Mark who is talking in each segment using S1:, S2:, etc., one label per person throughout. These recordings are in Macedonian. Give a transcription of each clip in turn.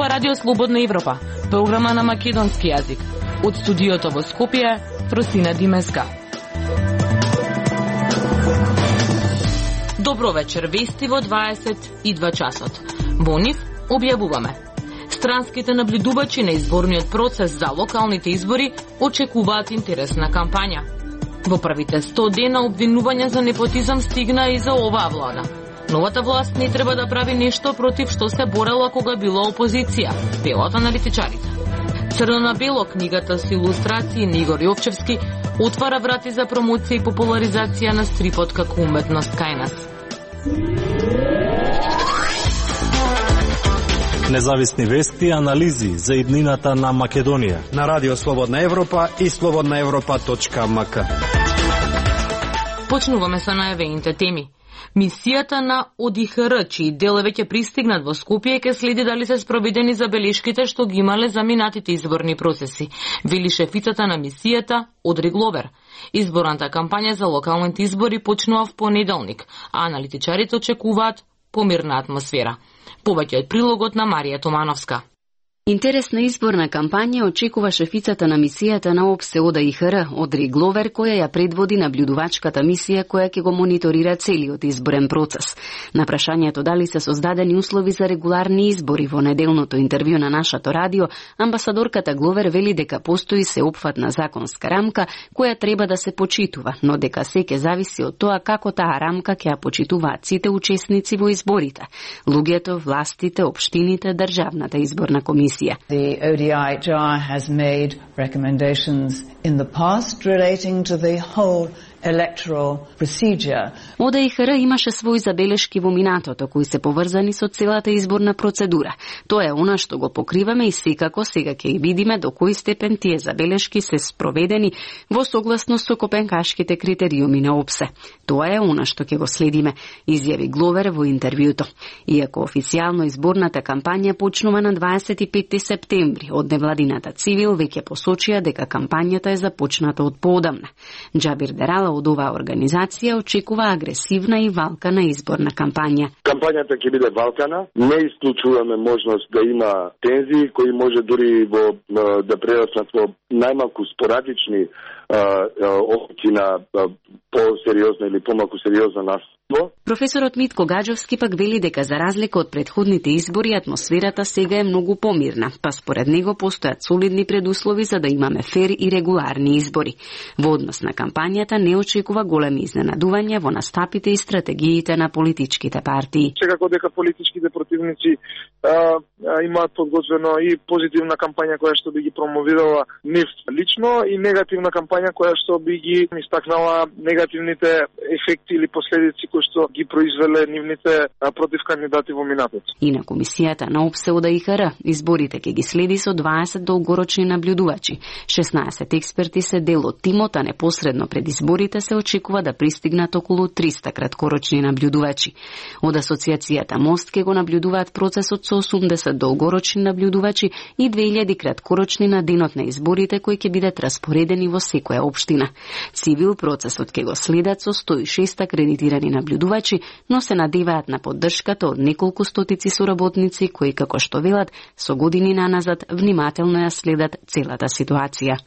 S1: ова Радио Слободна Европа, програма на македонски јазик. Од студиото во Скопје, Фросина Димеска. Добро вечер, вести во 22 часот. Во нив објавуваме. Странските наблюдувачи на изборниот процес за локалните избори очекуваат интересна кампања. Во првите 100 дена обвинувања за непотизам стигна и за оваа влада. Новата власт не треба да прави нешто против што се борела кога била опозиција, велат аналитичарите. Црно на бело, книгата со илустрации на Игор Јовчевски отвара врати за промоција и популаризација на стрипот како уметност кај нас.
S2: Независни вести и анализи за иднината на Македонија
S3: на Радио Слободна Европа и slobodnaevropa.mk.
S1: Почнуваме со најавените теми. Мисијата на ОДИХР, чии дел веќе пристигнат во Скопје, ке следи дали се спроведени забелешките што ги имале за минатите изборни процеси, вели шефицата на мисијата Одри Гловер. Изборната кампања за локалните избори почнува в понеделник, а аналитичарите очекуваат помирна атмосфера. Повеќе од прилогот на Марија Томановска.
S4: Интересна изборна кампања очекува шефицата на мисијата на ОПСЕ ОДИХР, Одри Гловер, која ја предводи наблюдувачката мисија која ќе го мониторира целиот изборен процес. На прашањето дали се создадени услови за регуларни избори во неделното интервју на нашето радио, амбасадорката Гловер вели дека постои сеопфатна законска рамка која треба да се почитува, но дека се ќе зависи од тоа како таа рамка ќе ја почитуваат сите учесници во изборите: луѓето, властите, општините, државната изборна комисија.
S5: The ODIHR has made recommendations in the past relating to the whole electoral procedure.
S4: ОДИХР имаше своји забелешки во минатото кои се поврзани со целата изборна процедура. Тоа е она што го покриваме и секако сега ќе ги видиме до кој степен тие забелешки се спроведени во согласност со копенхашките критериуми на ОПСЕ. Тоа е она што ќе го следиме, изјави Гловер во интервјуто. Иако официјално изборната кампања почнува на 25 септември, од невладината Цивил веќе посочија дека кампањата е започната од поодамна. Џабир Дерала од оваа организација очекува агресивна и валкана изборна кампања.
S6: Кампањата ќе биде валкана, не исклучуваме можност да има тензии кои може дури да прераснат во најмалку спорадични опити на по-сериозна или помалку сериозна настапа.
S4: Професорот Митко Гаджовски пак вели дека за разлика од претходните избори атмосферата сега е многу помирна, па според него постојат солидни предуслови за да имаме фер и регуларни избори. Во однос на кампањата не очекува големи изненадувања во настапите и стратегиите на политичките партии.
S7: Секако дека политичките противници имаат подготвено и позитивна кампања која што би ги промовирала нив лично и негативна кампања која што би ги истакнала негативните ефекти или последици кои што ги произвеле нивните против кандидати во минатото.
S4: И на комисијата на ОПСЕ ОДИХР изборите ќе ги следи со 20 долгорочни наблюдувачи. 16 експерти се дел од тимот, а непосредно пред изборите се очекува да пристигнат околу 300 краткорочни наблюдувачи. Од асоциацијата Мост ќе го наблюдуваат процесот со 80 долгорочни наблюдувачи и 2000 краткорочни на денот на изборите кои ќе бидат распоредени во секоја општина. Цивил процесот ќе го следат со 106 акредитирани наблюдувачи, но се надеваат на поддршката од неколку стотици соработници кои, како што велат, со години наназад внимателно ја следат целата ситуација.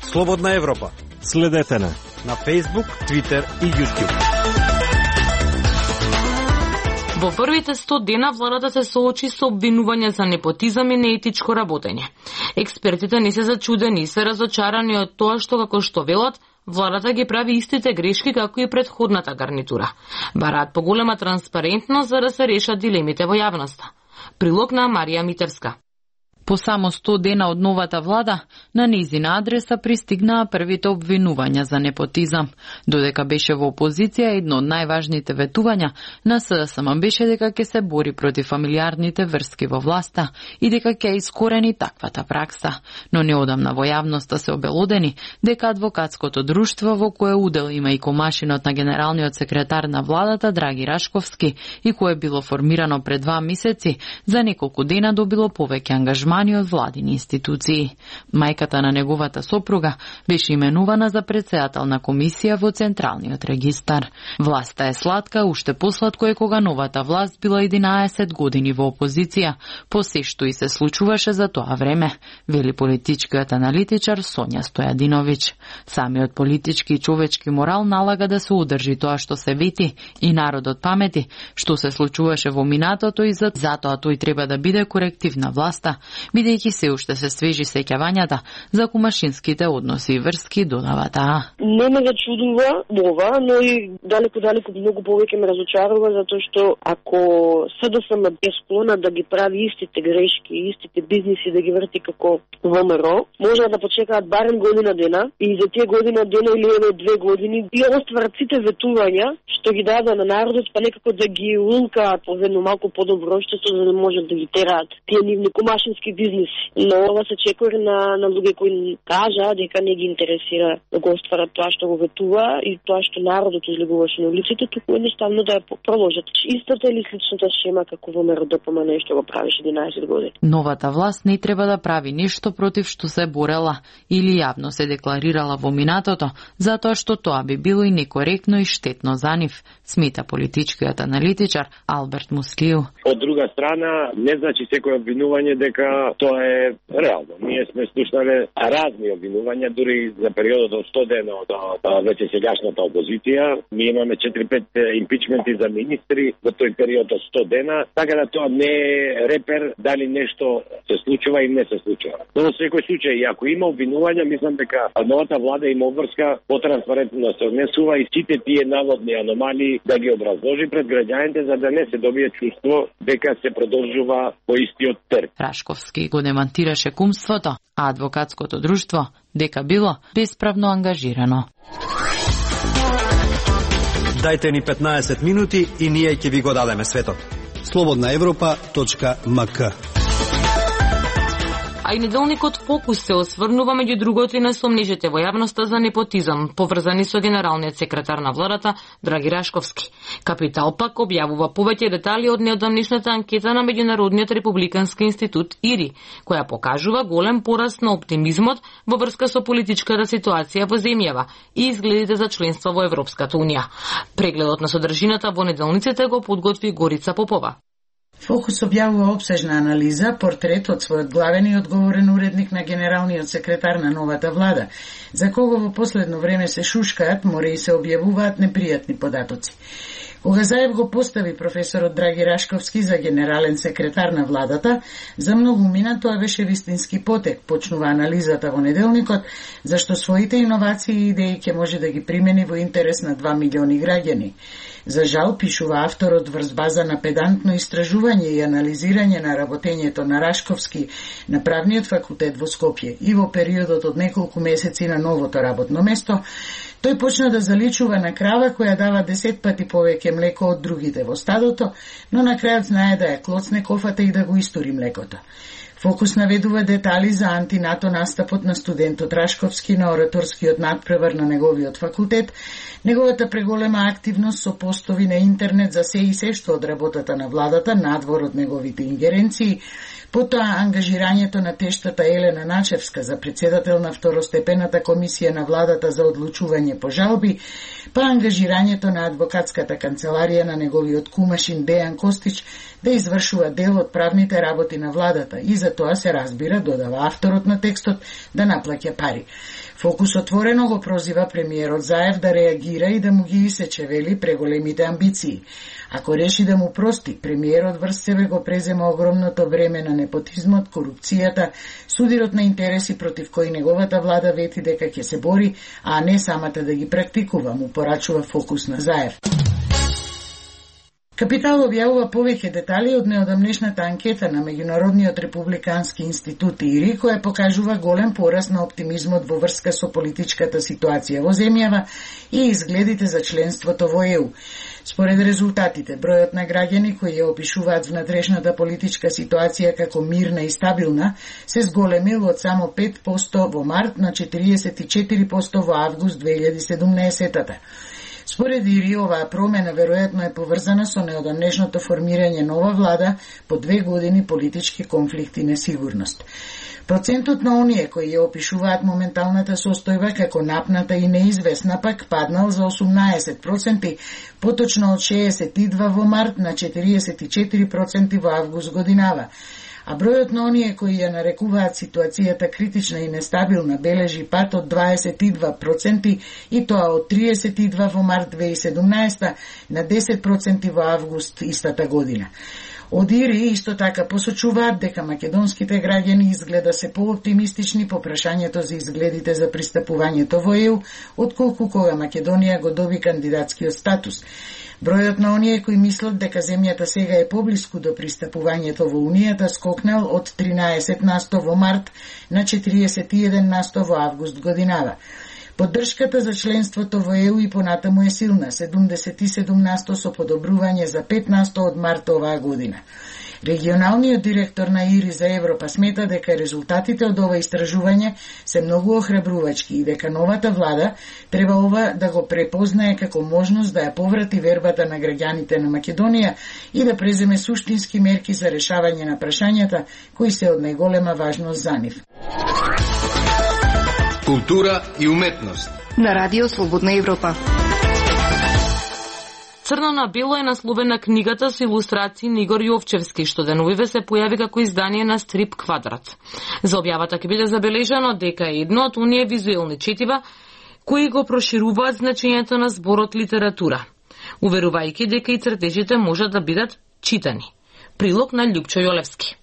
S3: Слободна Европа.
S2: Следете на
S3: Facebook, Twitter и YouTube.
S1: Во првите 100 дена владата се соочи со обвинување за непотизам и неетичко работење. Експертите не се зачудени и се разочарани од тоа што, како што велат, владата ги прави истите грешки како и претходната гарнитура. Бараат поголема транспарентност за да се решат дилемите во јавноста. Прилог на Марија Митерска.
S8: По само 100 дена од новата влада, на нејзина адреса пристигнаа првите обвинувања за непотизам. Додека беше во опозиција, едно од најважните ветувања на СДСМ беше дека ќе се бори против фамилиарните врски во власта и дека ќе искорени таквата пракса. Но неодамна во јавноста се обелодени дека адвокатското друштво во кое удел има и комашинот на генералниот секретар на владата Драги Рашковски и кое било формирано пред 2 месеци, за неколку дена добило повеќе ангажмани именувани од владини институции. Мајката на неговата сопруга беше именувана за претседател на комисија во Централниот регистар. Власта е сладка, уште посладко е кога новата власт била 11 години во опозиција, по се што и се случуваше за тоа време, вели политичкиот аналитичар Сонја Стојадиновиќ. Самиот политички и човечки морал налага да се удржи тоа што се вети и народот памети, што се случуваше во минатото и затоа тој треба да биде коректив на власта, бидејќи се уште се свежи сеќавањата за кумашинските односи и врски, додава таа.
S9: Не ме зачудува ова, но и далеку многу повеќе ме разочарува, затоа што ако СДСМ е склона да ги прави истите грешки, истите бизниси да ги врти како ВМРО, може да почекаат барем година дена и за тие година дена или 2 години и остварат сите ветувања што ги даде на народот, па некако да ги улкаат по едно малку подобро општество, за да можат да ги тераат тие нивни кумашински бизниси. Но ова се чекори на луѓе кои кажа дека не ги интересира да го остварат тоа што го ветува и тоа што народот излегуваше на улиците, туку едноставно да ја продолжат. Истата или сличната шема како во МРДПМ нешто го правеше 11 години.
S8: Новата власт не треба да прави ништо против што се борела или јавно се декларирала во минатото, затоа што тоа би било и некоректно и штетно за нив, смета политичкиот аналитичар Алберт Муслију.
S10: Од друга страна, не значи секој обвинување дека тоа е реално. Ние сме слушнале разни обвинувања, дури за периодот од 100 дена од веќе сегашната опозиција. Ние имаме 4-5 импичменти за министри во тој период од 100 дена, така да тоа не е репер дали нешто се случува или не се случува. Но во секој случај, ако има обвинувања, мислам дека новата влада има обврска потранспарентно да се однесува и сите тие наводни аномалии да ги образложи пред граѓаните, за да не се добие чувство дека се продолжува по истиот терм.
S8: Рашковски го демантираше кумството, а адвокатското друштво дека било бесправно ангажирано.
S3: Дајте ни 15 минути и ние ќе ви го дадеме светот. slobodnaevropa.mk.
S1: А и неделникот Фокус се осврнува меѓу другото и на сомнежите во јавноста за непотизам, поврзани со генералниот секретар на владата Драги Рашковски. Капитал пак објавува повеќе детали од неодамнешната анкета на Меѓународниот републикански институт ИРИ, која покажува голем пораст на оптимизмот во врска со политичката ситуација во земјава и изгледите за членство во Европската унија. Прегледот на содржината во неделниците го подготви Горица Попова.
S11: Фокус објавува опсежна анализа, портрет од својот главен и одговорен уредник на генералниот секретар на новата влада, за кого во последно време се шушкаат, мора и се објавуваат непријатни податоци. Кога Заев го постави професорот Драги Рашковски за генерален секретар на владата, за многу мина тоа беше вистински потек, почнува анализата во неделникот, зашто своите иновации и идеи ќе може да ги примени во интерес на 2 милиони граѓани. За жал, пишува авторот врз база на педантно истражување и анализирање на работењето на Рашковски на правниот факултет во Скопје и во периодот од неколку месеци на новото работно место, тој почна да заличува на крава која дава 10 пати повеќе млеко од другите во стадото, но на крајот знае да ја клоцне кофата и да го истури млекото. Фокус наведува детали за антинато настапот на студентот Рашковски на ораторскиот надпревар на неговиот факултет, неговата преголема активност со постови на интернет за се и се што од работата на владата, надвор од неговите ингеренции, потоа ангажирањето на тештата Елена Начевска за председател на второстепената комисија на владата за одлучување по жалби, па ангажирањето на адвокатската канцеларија на неговиот кумашин Дејан Костич да извршува дел од правните работи на владата и за тоа се разбира, додава авторот на текстот, да наплаќа пари. Фокус отворено го прозива премиерот Заев да реагира и да му ги исече, вели, преголемите амбиции. Ако реши да му прости, премиерот врз себе го презема огромното време на непотизмот, корупцијата, судирот на интереси против кои неговата влада вети дека ќе се бори, а не самата да ги практикува, му порачува Фокус на Заев. Капитал објавува повеќе детали од неодамнешната анкета на Меѓународниот републикански институт ИРИ, која покажува голем пораст на оптимизмот во врска со политичката ситуација во земјава и изгледите за членството во ЕУ. Според резултатите, бројот на граѓани кои ја опишуваат внатрешната политичка ситуација како мирна и стабилна се зголемил од само 5% во март на 44% во август 2017-та. Според Ири, оваа промена веројатно е поврзана со неодамнешното формирање нова влада по 2 години политички конфликт и несигурност. Процентот на оние кои ја опишуваат моменталната состојба како напната и неизвестна пак паднал за 18%, поточно од 62 во март на 44% во август годинава. А бројот на оние кои ја нарекуваат ситуацијата критична и нестабилна бележи пат од 22% и тоа од 32 во март 2017 на 10% во август истата година. Од Ири исто така посочуваат дека македонските граѓани изгледа се пооптимистични по прашањето за изгледите за пристапувањето во ЕУ, отколку кога Македонија го доби кандидатскиот статус. Бројот на оние кои мислат дека земјата сега е поблиску до пристапувањето во Унијата скокнал од 13% во март на 41% во август годинава. Поддршката за членството во ЕУ и понатаму е силна, 77% со подобрување за 5% од март оваа година. Регионалниот директор на ИРИ за Европа смета дека резултатите од ова истражување се многу охрабрувачки и дека новата влада треба ова да го препознае како можност да ја поврати вербата на граѓаните на Македонија и да преземе суштински мерки за решавање на прашањата кои се од најголема важност за нив.
S12: Култура и уметност
S13: на Радио Слободна Европа.
S1: Црно на бело е насловена книгата со илустрации на Игор Јовчевски, што деновиве се појави како издание на стрип Квадрат. За објавата ќе биде забележано дека е едно од оние визуелни четива кои го прошируваат значењето на зборот литература, уверувајќи дека и цртежите можат да бидат читани. Прилог на Љупчо Јолевски.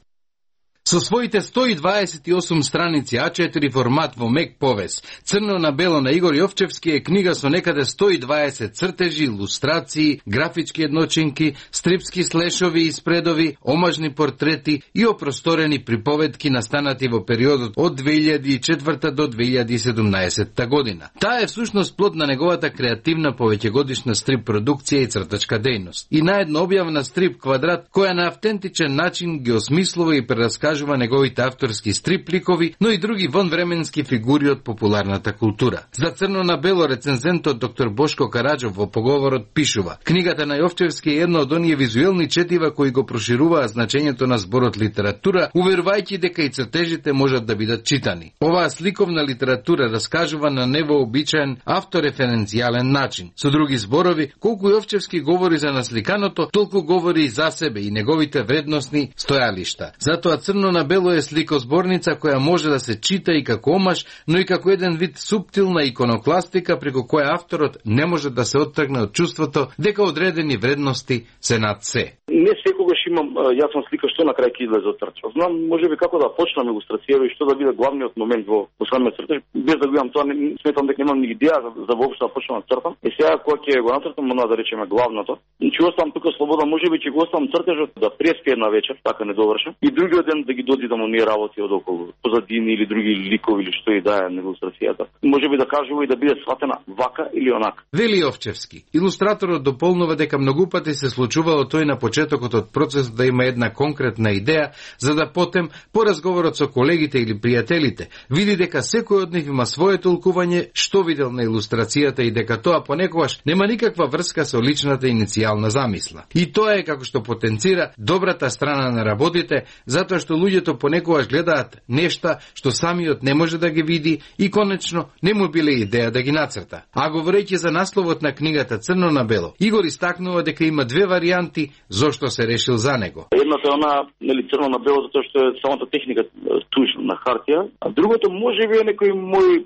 S12: Со своите 128 страници А4 формат во мек повес, Црно на бело на Игор Јовчевски е книга со некаде 120 цртежи, илустрации, графички едночинки, стрипски слешови и спредови, омажни портрети и опросторени приповедки настанати во периодот од 2004 до 2017 година. Таа е всушност плод на неговата креативна повеќегодишна стрип продукција и цртачка дејност. И наедно објавна стрип Квадрат, која на автентичен начин ги осмислува и прераскажува неговите авторски стрип ликови, но и други вонвременски фигури од популарната култура. За Црно на бело рецензентот доктор Бошко Караджов во поговорот пишува: книгата на Јовчевски е една од оние визуелни четива кои го прошируваат значењето на зборот литература, уверувајќи дека и цртежите можат да бидат читани. Оваа сликовна литература раскажува на невообичаен автореференцијален начин. Со други зборови, колку Јовчевски говори за насликаното, толку говори и за себе и неговите вредносни стојалишта. Затоа Црно на бело е сликозборница која може да се чита и како омаш, но и како еден вид суптилна иконокластика преку која авторот не може да се оттргне од чувството дека одредени вредности се над се.
S14: Не секогаш имам јасна слика што на крај ќе излезе од цртаж. Знам можеби како да почнам илустрацијава и што да биде главниот момент во самиот цртаж. Без да го имам тоа, сметам дека немам ни идеја за воопшто да почнам да цртам. И сега кога ќе го нацртам, мора да речеме главното. И ќе оставам тука слобода, можеби ќе го оставам цртажот да преспие една вечер, така не довршам. И другиот ден да ги доди да му не работи од околу, позадини или други ликови или што и да е на илустрацијата. Можеби да кажува и да биде сватена вака или онака.
S12: Вели Јовчевски. Илустраторот дополнува дека многу пати се случувало тој на почетокот од процесот да има една конкретна идеја, за да потем, по разговорот со колегите или пријателите, види дека секој од нив има свое толкување што видел на илустрацијата и дека тоа понекогаш нема никаква врска со личната иницијална замисла. И тоа е како што потенцира добрата страна на работите, затоа што луѓето понекогаш гледаат нешта што самиот не може да ги види и конечно не му биле идеја да ги нацрта. А говорејќи за насловот на книгата Црно на бело, Игор истакнува дека има две варијанти зошто се решил за него.
S14: Едната е она, нели, црно на бело, затоа што е самата техника туш на хартија, а другото можеби е некој мој,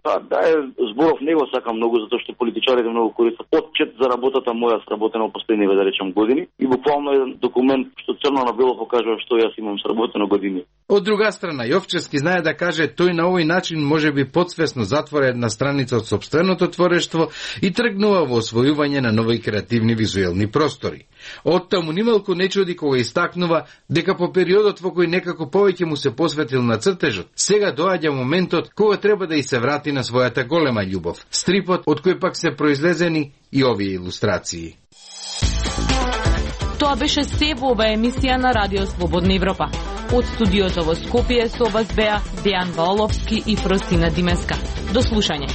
S14: зборов него сакам многу затоа што политичарите многу користат отчет за работата моја сработена во последниве, да речем, години и буквално еден документ што црно на бело покажува што јас имам сработено години.
S12: Од друга страна, Јовчевски знае да каже тој на овој начин можеби подсвесно затвора една страница од сопственото творештво и тргнува во освојување на нови креативни визуелни простори. Оттаму нималку не чуди кога истакнува дека по периодот во кој некако повеќе му се посветил на цртежот, сега доаѓа моментот кога треба да и се врати на својата голема љубов, стрипот од кој пак се произлезени и овие илустрации.
S1: Тоа беше се во оваа емисија на Радио Слободна Европа. Од студиото во Скопје со вас беа Дејан Ваоловски и Фростина Димеска. До слушање.